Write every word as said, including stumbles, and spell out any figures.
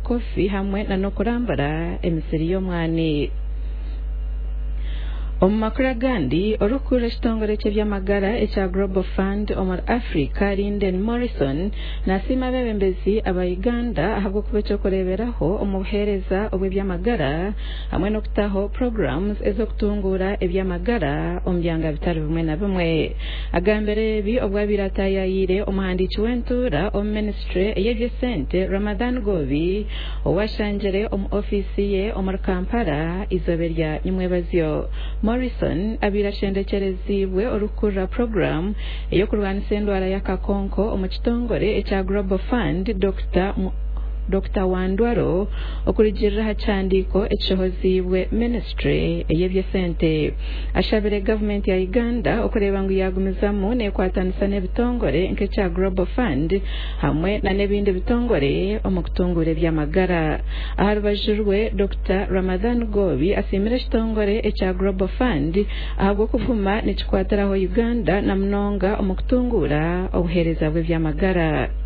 kofi hamwe n'okurambura emisiri y'omwani. Omu makuru agandi, orikukurira ekitongore ky'ebyamagara ekya Global Fund omuri Africa, Linden Morrison, nasiima abeebembezi aba Uganda ahabw'okuba ekyokureeberaho omu buheereza obw'ebyamagara hamwe n'okutaho programs ez'okutunguura ebyamagara omu byanga bitari bimwe na bimwe. Agambire ebi obu abaire ataayaayire omuhandiiki w'entuura omu minisitule ey'eby'esente Ramadhan Gobi, owashangire omu ofiisi ye omuri Kampala eizooba erya nyimwebazyo. Morrison abaire ashendekyereziibwe orikukurira puroguramu ey'okurwanisa endwara y'akakonko omu kitongore ekya Global Fund, Dokita Dokita Wandwaro, okurugiirira aha kihandiiko ekishohoziibwe minisitule ey'eby'esente. Ashabire gavumenti ya Uganda okureeba ngu yaagumizamu neekwatanisa n'ebitongore nk'ekya Global Fund hamwe n'ebindi bitongore omu kutunguura eby'amagara. Aha rubaju rwe, Dokita Ramadhan Gobi asiimire ekitongore ekya Global Fund ahabw'okuguma nikikwatiraho Uganda na munonga omu kutunguura obuheereza bw'eby'amagara.